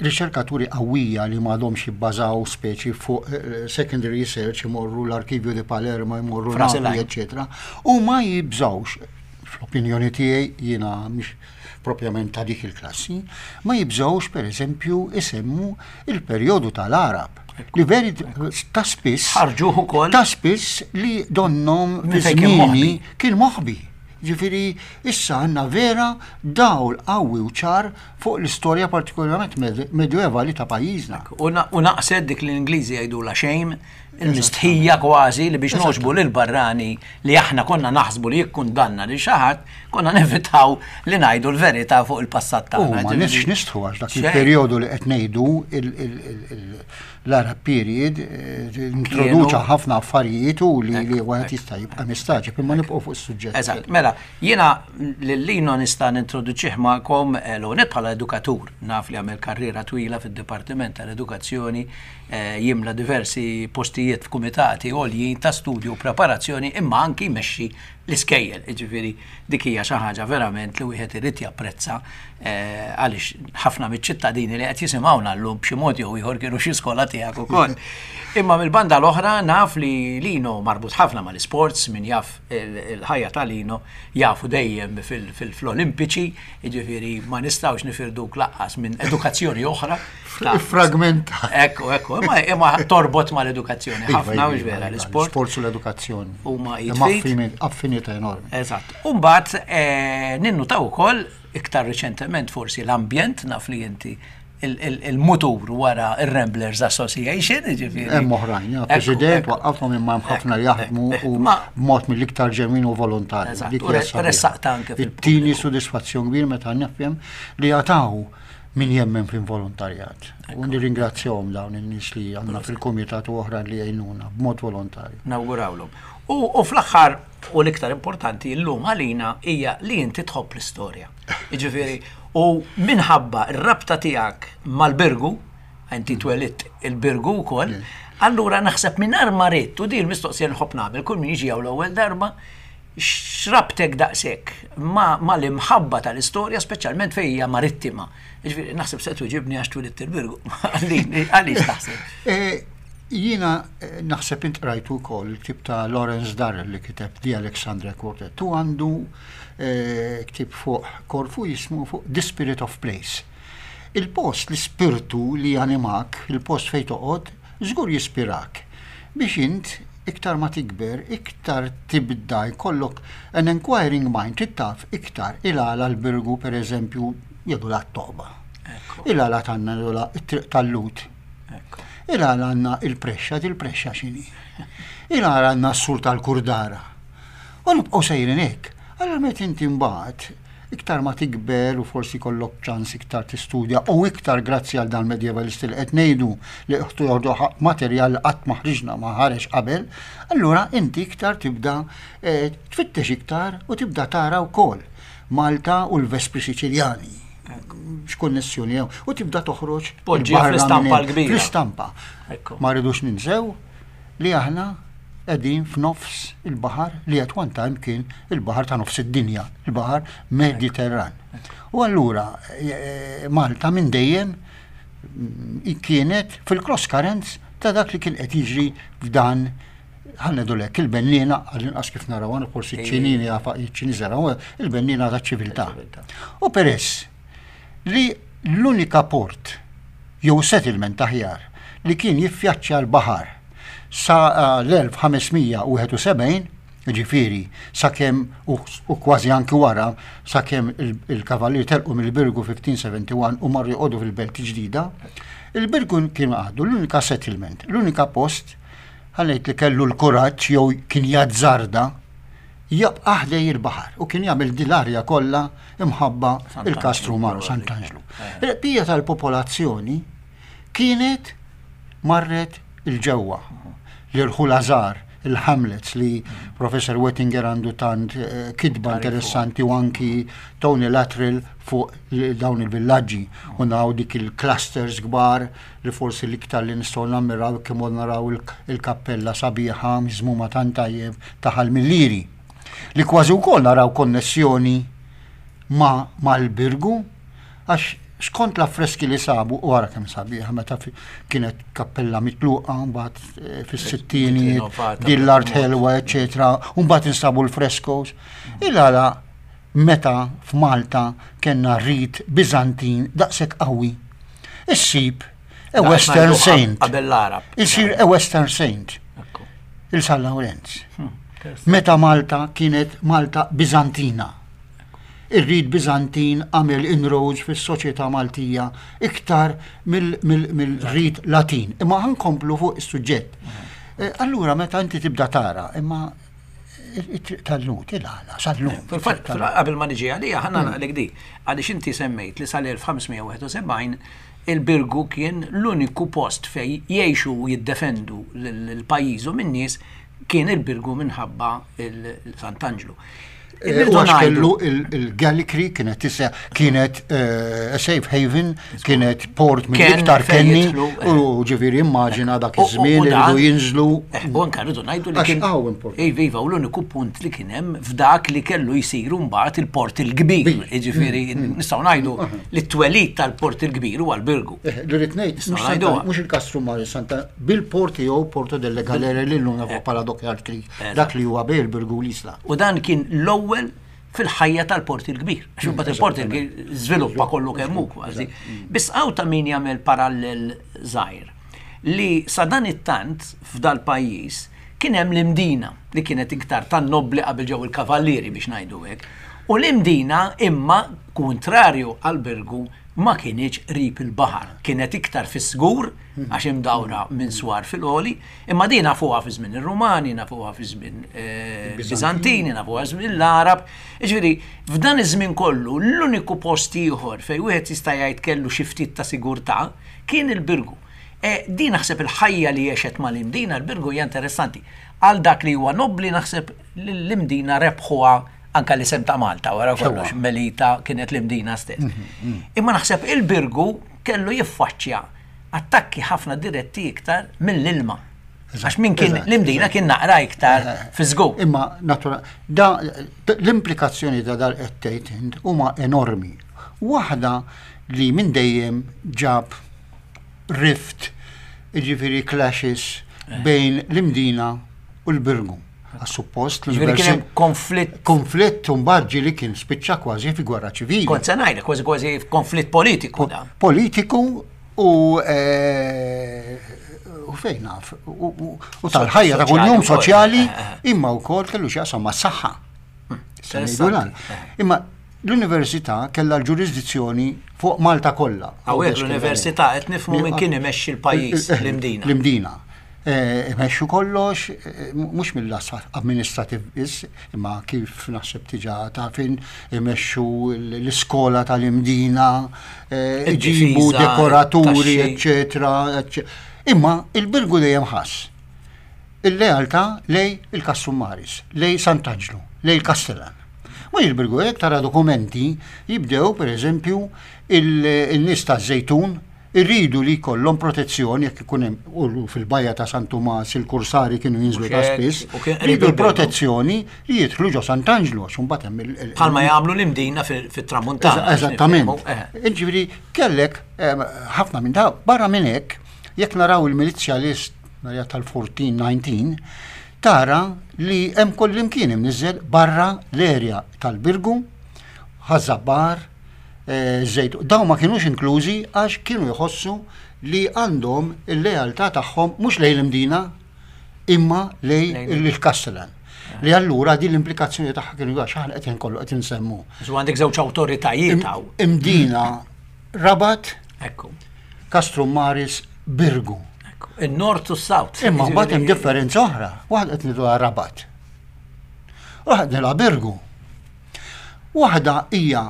riċerkaturi qawwija li m'għadhomx jibbażaw speċi fuq eh, secondary research imorru l-arkivju di Palermo, imorru Napoli, eccetera, u ma jibżawx, fl-opinjoni tiegħi jiena mhix propjament ta' dik il-klassi, ma jibżgħux pereżempju isemmu il-perjodu tal-Għarab. Li veri ta' spiss. Ħarġuh ukoll. Ta' spiss li donnom fi żmieni kien moħbi. Ġifieri issa għandna vera dawl qawwi u ċar fuq l-istorja partikolarment medjevali ta' pajjiżna. U naqset dik li l-Ingliżi jgħidulha shame, il-mistħija kważi li biex nogħġbu lill-barrani li aħna konna naħsbu li jikkundanna lil xi ħadd, konna nevitaw li ngħidu l-verità fuq il-passat tagħna. U ma nix nistħu għax dak il-perjodu li qed ngħidu l-Arab period eh, introduċa ħafna affarijiet u li li wieħed jista' jibqa' mistaġib imma nibqgħu fuq is-suġġett. Eżatt, mela jiena lil Lino nista' nintroduċih magħkom eh, l-ewwel bħala edukatur, naf li għamel karriera twila fid-Dipartiment tal-Edukazzjoni jimla diversi postijiet f'kumitati għoljin ta' studju u preparazzjoni imma anki jmexxi l-iskejjel. Jiġifieri dik hija xi ħaġa verament li wieħed irid japprezza eh, għaliex ħafna miċ-ċittadini li qed jisimgħuna llum b'xi mod jew ieħor kienu xi skola tiegħek ukoll. Imma mill-banda l-oħra naf li Lino marbut ħafna mal-isports, min jaf il-ħajja ta' Lino jafu dejjem fil-Olimpiċi, jiġifieri ma nistgħux nifirduk laqqas minn edukazzjoni oħra. Fragmenta. Ekku, ekku, imma torbot ma l-edukazzjoni. Iva, ħafna u iva, vera iva, l-sport. Sport u l-edukazzjoni. Huma jitfit. Affinità enormi. Eżatt. Umbagħad eh, ninnutaw ukoll Iktar riċentement forsi l-ambjent naf li inti il-mutur wara il-Ramblers Association, ġifieri. Hemm oħrajn, ja, President, waqqafhom imma hemm ħafna li jaħdmu u b'mod mill-iktar ġenwin u volontarju. Ressaqt anke fil-Tini sodisfazzjon kbir meta nifhem li jataw min jemmen fil-volontarjat. U nirringrazzjahom dawn in-nies li għandna fil-kumitat u oħrajn li jgħinuna b'mod volontarju. Nawgurawlhom. U fl-aħħar u l-iktar importanti llum għalina hija li inti tħobb l-istorja. Jiġifieri, u minħabba r-rabta tiegħek mal-Birgu, inti twelidt il-Birgu wkoll, allura naħseb mingħajr ma ridt, u din l-mistoqsija li nħobb nagħmel kull min jiġi hawn l-ewwel darba, x'rabtek daqshekk mal-imħabba tal-istorja, speċjalment fejn hija marittima. Jiġifieri naħseb se twiġibni għax twelidt il-Birgu. Għaliex taħseb? Eh, jiena eh, naħseb int qrajtu wkoll il-ktieb ta' Lawrence Darrell li kiteb The Alexandria Quartet. Tu għandu eh, ktieb fuq Korfu jismu fuq The Spirit of Place. Il-post, l-ispirtu li janimak, il-post fejn toqgħod, żgur jispirak biex int iktar ma tikber, iktar tibda jkollok an inquiring mind, trid taf iktar il-għala l-Birgu pereżempju jgħidulha t-toqba. Il-għala tagħna jgħidulha t-triq tal-Lhud. Il-għala għandna il-prexxa, dil-prexxa x'inhi? Il-għala għandna s-sur tal-Kurdara. U nibqgħu sejrin hekk. Allura meta inti mbagħad iktar ma tikber u forsi jkollok ċans iktar tistudja u iktar grazzi għal dan medievalisti li qed ngħidu li qed joħdu materjal li qatt ma ħriġna ma ħareġ qabel, allura inti iktar tibda eh, tfittex iktar u tibda tara wkoll Malta u l-Vespri Siċiljani. X'konnessjoni hemm u tibda toħroġ Poġġiha fl-istampa l-kbira. Fl-istampa. Ma rridux ninsew li aħna qegħdin f'nofs il-baħar li at one time kien il-baħar ta' nofs id-dinja, il-baħar Mediterran. U allura eh, Malta minn dejjem mm, kienet fil-cross currents ta' dak li kien qed jiġri f'dan ħannedu lek il-bennina għall-inqas kif naraw għana forsi ċ-ċinini ċ-ċiniż jaraw il-bennina ta' ċiviltà. U peress li l-unika port jew settlement aħjar li kien jiffjaċċja l-baħar sa l-1571, jiġifieri sakemm u kważi anki wara sakemm il-kavallieri telqu mill-Birgu 1571 u marru joqogħdu fil-Belt il-Ġdida, il-Birgu kien għadu l-unika settlement, l-unika post ħa ngħid li kellu l-kuraġġ jew kien jazzarda jabqa' ħdej il-baħar u kien jagħmel din l-arja kollha imħabba il-Kastru Maru Sant'Anġlu. Il-bqija tal-popolazzjoni kienet marret 'il ġewwa. L-irħula żgħar, il-hamlets li Professor Wettinger għandu tant eh, kitba interessanti u anki Tony Luttrell fuq dawn il-villaġġi u naraw dik il-clusters kbar li forsi l-iktar li nistgħu nammiraw kemm naraw il-kappella sabiħa miżmuma tant tajjeb ta' Ħal Millieri. Li kważi wkoll naraw konnessjoni ma' mal-Birgu għax skont l-affreski li sabu, u ara kemm sabiħa meta kienet kappella mitluqa mbagħad eh, fis-sittinijiet, din l-art ħelwa, eċetera, u mbagħad instabu l-frescoes. Il-għala meta f'Malta kellna rit Biżantin daqshekk qawwi. Issib a Western Saint. Qabel l-Arab. Isir a Western Saint. Il-San Lawrenz. Hmm, meta Malta kienet Malta Biżantina. Ir-rit Biżantin għamel inroads fis-soċjetà Maltija iktar mill-rit Latin. Imma ħa nkomplu fuq is-suġġett. Eh, allura meta inti tibda tara, imma it-triq tal-Lhud, il-għala, sal-lum. Fil-fatt, qabel ma niġi għalija, ħanna mm. naqlek di, għaliex inti semmejt li sal-1571 il-Birgu kien l-uniku post fej jgħixu u jiddefendu l-pajjiżu min-nies kien il-Birgu minħabba il-Sant'Anġlu. Eh, u għax kellu il-Gallicri kienet tisa kienet eh, safe haven, kienet port minn iktar kenni eh. u ġifieri immaġina dak iż-żmien irridu jinżlu. U anke rridu ngħidu li kien Iva, iva, u l-uniku punt li kien hemm f'dak li kellu jsiru mbagħad il-port il-kbir. Ġifieri mm, mm. nistgħu ngħidu li t-twelid tal-port il-kbir huwa l-Birgu. Li rrid ngħid, mhux il-Kastru Mari Santa bil-port jew Porto delle Galere li llum nafu bħala Dockyard Creek. Dak li huwa bejn il-Birgu u l-Isla. U dan kien l-ewwel fil-ħajja tal-Port il-Kbir. Għax imbagħad il-Port il-Kbir żviluppa kollu kemm hu kważi. Biss hawn ta' min jagħmel parallel żgħir li sa dan it-tant f'dal-pajjiż kien hemm l-Imdina li kienet iktar tan-nobbli qabel ġew il-kavallieri biex ngħidu hekk. U l-Imdina imma kuntrarju għall-Birgu ma kinitx qrib il-baħar, kienet iktar fis-sgur għax imdawra minn swar fil-għoli, imma din nafuha fi żmien ir-Rumani, nafuha fi żmien eh, Biżantini, nafuha żmien l-Għarab. Jiġifieri, f'dan iż-żmien kollu l-uniku post ieħor fejn wieħed jista' jgħid kellu xi ftit ta' sigurtà kien il-Birgu. E, din naħseb il-ħajja li għexet mal-Imdina l-Birgu hija interessanti. Għal dak li huwa nobbli naħseb l-Imdina rebħuha anka l-isem ta' Malta wara kollox Melita kienet l-Imdina stess. Mhm, mhm. Imma naħseb il-Birgu kellu jiffaċċja attakki ħafna diretti iktar mill-ilma. Għax min kien l-Imdina kien naqra iktar eh, fi żgur. Imma natura da l-implikazzjoni ta' dal qed tgħid huma enormi. Waħda li minn dejjem ġab rift, jiġifieri clashes eh. bejn l-Imdina u l-Birgu. Għax suppost li kien hemm konflitt. Konflitt u mbagħad ġieli kien spiċċa kważi fi gwerra ċivili. Kont se ngħidlek kważi kważi konflitt politiku da. Politiku u eh, u fejn naf u tal-ħajja ta' kuljum soċjali eh, eh. imma wkoll kellu x'jaqsam mas-saħħa. Hmm. Imma l-università kellha l-ġurisdizzjoni fuq Malta kollha. Hawnhekk l-università qed nifhmu minn kien imexxi l-pajjiż l-Imdina. L-Imdina. Eh, imexxu kollox, eh, mhux mill-lat amministrativ biss, imma kif naħseb tiġa tafin, imexxu l-iskola tal-Imdina, eh, iġibu dekoraturi, eccetera. Imma il-Birgu dejjem ħass il-lealtà lej il-Kassummaris, lej Sant'Anġlu, lej il-Kastellan. Mhux il-Birgu jekk tara dokumenti jibdew pereżempju il-nies taż-Żejtun Iridu li jkollhom protezzjoni jekk ikun hemm u fil-bajja ta' San Tumas il-kursari kienu jinżlu ta' spiss, iridu l-protezzjoni li jidħlu ġo Sant'Anġlu għax imbagħad hemm il- Bħalma jagħmlu l-Imdina fit-Tramuntana. Eżattament. Eh. Jiġifieri kellek eh, ħafna minn daw, barra minn hekk, jekk naraw il-milizzja list tal-1419, tara li hemm kullimkien imniżżel barra l-erja tal-Birgu, Ħaż-Żabbar, żejt. Dawn ma kinux inklużi għax kienu jħossu li għandhom il-lealtà tagħhom mhux lejn l-Imdina imma lejn il-Castellan. Li allura din l-implikazzjoni tagħha kienu għax aħna qed kollu qed insemmu. Żu għandek żewġ awtoritajiet hawn. Imdina Rabat, Ekku. Castrum Maris, Birgu. Il-North u s-South. Imma mbagħad hemm differenza oħra. Waħda qed ngħidu Rabat. Waħda la Birgu. Waħda hija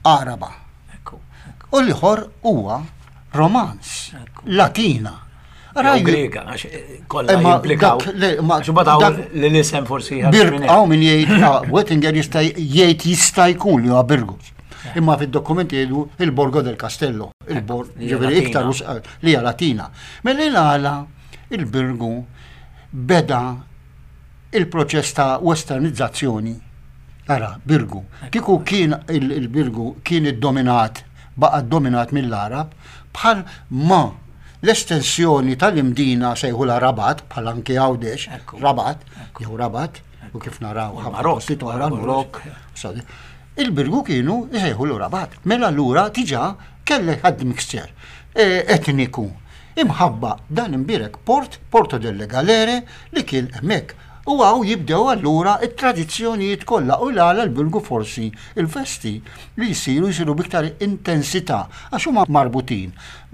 Għaraba. U l-ieħor huwa Romanz, Latina. Raj Griega, għax eh, kollha jimplikaw. Li l-isem forsi Għaw min jgħid, ah, Wettinger jista' jgħid jista' jkun li huwa Birgu. Imma fid-dokumenti jgħidu il-Borgo del Castello, il-Borg, ġifieri iktar eh, li hija Latina. Mela għala il-Birgu beda il-proċess ta' westernizzazzjoni, ara, Birgu, kieku kien il-Birgu kien iddominat, baqa' ddominat mill-Għarab, bħal ma l-estensjoni tal-Imdina sejħulha Rabat, bħal anki Għawdex, Rabat, jew Rabat, u kif naraw ħafna postijiet oħra, l-Marokk, il-Birgu kienu jsejħulu Rabat. Mela allura diġà kellek admixture eh, etniku Imħabba dan imbierek port, Porto delle Galere, li kien hemmhekk. U hawn jibdew allura t-tradizzjonijiet kollha u l-għala l-Birgu forsi l-festi li jsiru jsiru b'iktar intensità għax huma marbutin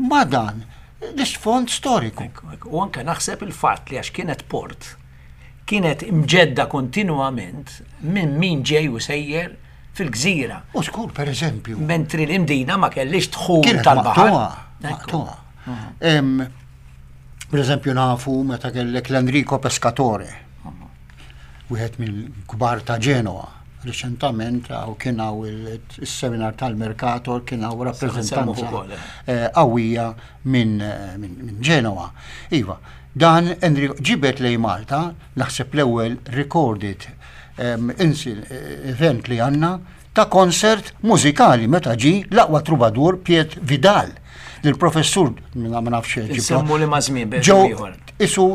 ma' dan l-isfond storiku. U anke naħseb il-fatt li għax kienet port, kienet imġedda kontinwament minn min ġej u sejjer fil-gżira. U żgur, pereżempju. Mentri l-Imdina ma kellhiex dħul tal-baħar. Maqtugħa. Per eżempju nafu meta kellek l-Enrico Pescatore, wieħed mill-kbar ta' Genoa. Reċentament għaw kien hawn il-seminar tal-Mercator kien hawn rappreżentanza eh, qawwija minn Genoa. Iva, dan Enrico ġibet lej Malta, naħseb l-ewwel recorded event li għandna ta' konsert mużikali meta ġie l-aqwa trubadur Piet Vidal li l-professur ma nafx Semmu li ma' żmien ġew isu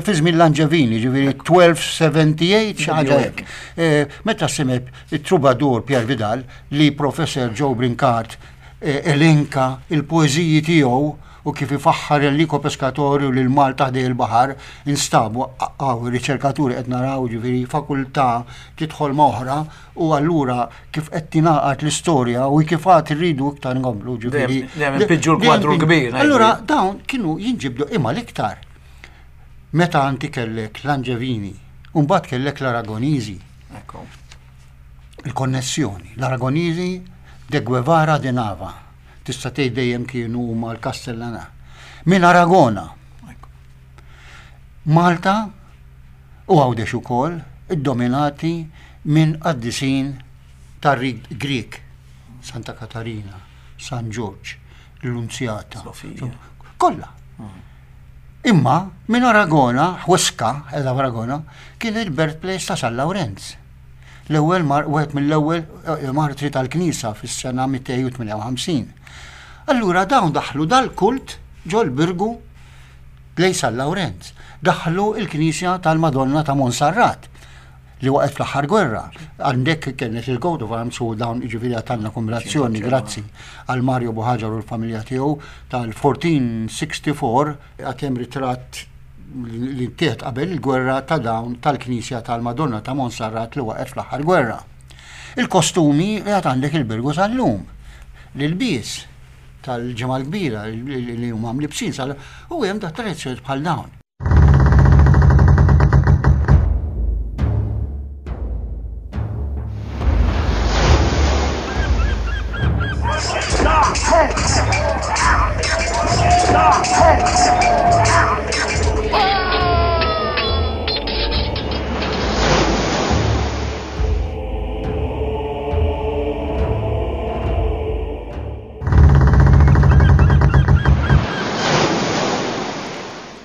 fi żmien Langevini, ġifieri 1278 xi ħaġa hekk. Eh, meta semeb it-trubadur Pier Vidal li professor Joe Brincat eh, elenka il-poeżiji tiegħu u kif ifaħħar Enrico Pescatori u lil Malta ħdej il-baħar, instabu hawn riċerkaturi qed naraw ġifieri fakultà tidħol ma' oħra u allura kif qed tingħaqad l-istorja u kif għad irridu iktar nkomplu ġifieri. Dejjem inpiġġu l-kwadru l-kbir. Allura dawn kienu jinġibdu imma l-iktar meta anti kellek l-Anġevini u mbagħad kellek l-Aragoniżi. Il-konnessjoni, l-Aragoniżi de Guevara de Nava. Tista' tgħid dejjem kienu huma l-Kastellana. Minn Aragona. Malta u Għawdex ukoll iddominati minn qaddisin tar-rit Grieg, Santa Katarina, San Ġorġ, l-Lunzjata. Kollha. Mm. Imma minn Aragona, Huesca, edha Aragona, kien il-birthplace ta' San Lawrenz. L-ewwel mar wieħed mill-ewwel eh, martri tal-Knisja fis-sena 258. Allura dawn daħlu dal-kult ġol-Birgu lejn San Lawrenz. Daħlu il-Knisja tal-Madonna ta' Monsarrat li waqgħet fl-aħħar gwerra. Għandek kienet il-coat of arms u dawn jiġifieri għatanna kombinazzjoni grazzi għal Mario Buħaġar u l-familja tiegħu tal-1464 għad hemm ritratt li ttieħed qabel il-gwerra ta' dawn tal-Knisja tal-Madonna ta' Monsarrat li waqgħet fl-aħħar gwerra. Il-kostumi li għad għandek il-Birgu sal-lum. L-ilbies tal-Ġimgħa l-Kbira li huma mlibsin sal u hemm da tradizzjonijiet bħal dawn.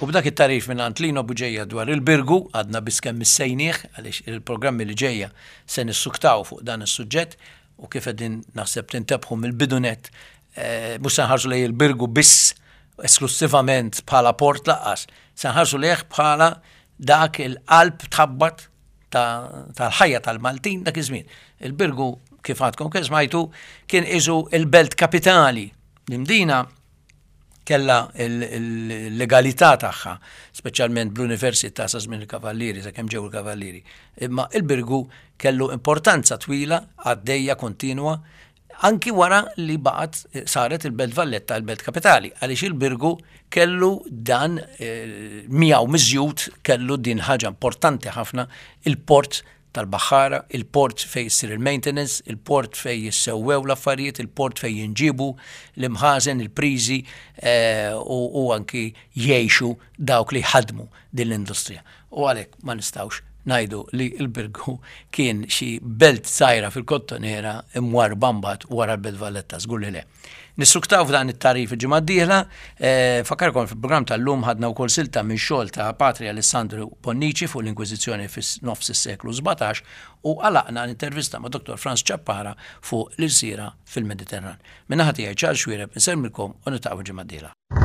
U b'dak it-tagħrif mingħand Lino Bugeja dwar il-Birgu, għadna biss kemm missejnieh għaliex il-programmi li ġejja se nissuktaw fuq dan is-suġġett u kif qegħdin naħseb tintebħu mill-bidu nett eh, mhux se nħarsu lejn il-Birgu biss esklussivament bħala port laqqas, se nħarsu lejh bħala dak il-qalb tħabbat tal-ħajja tal-Maltin dak iż-żmien. Il-Birgu kif għadkom kif smajtu kien iżu il-belt kapitali. L-Imdina kella l-legalità tagħha, speċjalment bl-università sa żmien il-Kavallieri, sakemm ġew il-Kavallieri. Imma il-Birgu kellu importanza twila għaddejja kontinwa anki wara li baqgħet saret il-Belt Valletta il-Belt Kapitali, għaliex il-Birgu kellu dan eh, miegħu miżjud kellu din ħaġa importanti ħafna il-port tal-baħħara, il-port fejn issir il-maintenance, il-port fejn jissewwew l-affarijiet, il-port fejn jinġiebu l-imħażen, il-priżi eh, u anki jgħixu dawk li jħaddmu din l-industrija. U għalhekk ma nistgħux ngħidu li l-Birgu kien xi belt żgħira fil-Kottonera imwarrba mbagħad wara l-Belt Valletta, żgur li le. Nissuktaw f'dan it-tagħrif il-ġimgħa d-dieħla, eh, fakkarkom fil-programm tal-lum ħadna wkoll silta minn xogħol ta' Patri Alessandro Bonnici fuq l-Inkwiżizzjoni fis-nofs is-seklu 17 u għalaqna l-intervista ma' Dr. Franz Ciappara fuq l-ilsira fil-Mediterran. Min-naħa tiegħi Charles Xuereb insellmilkom u niltaqgħu l-ġimgħa d-dieħla.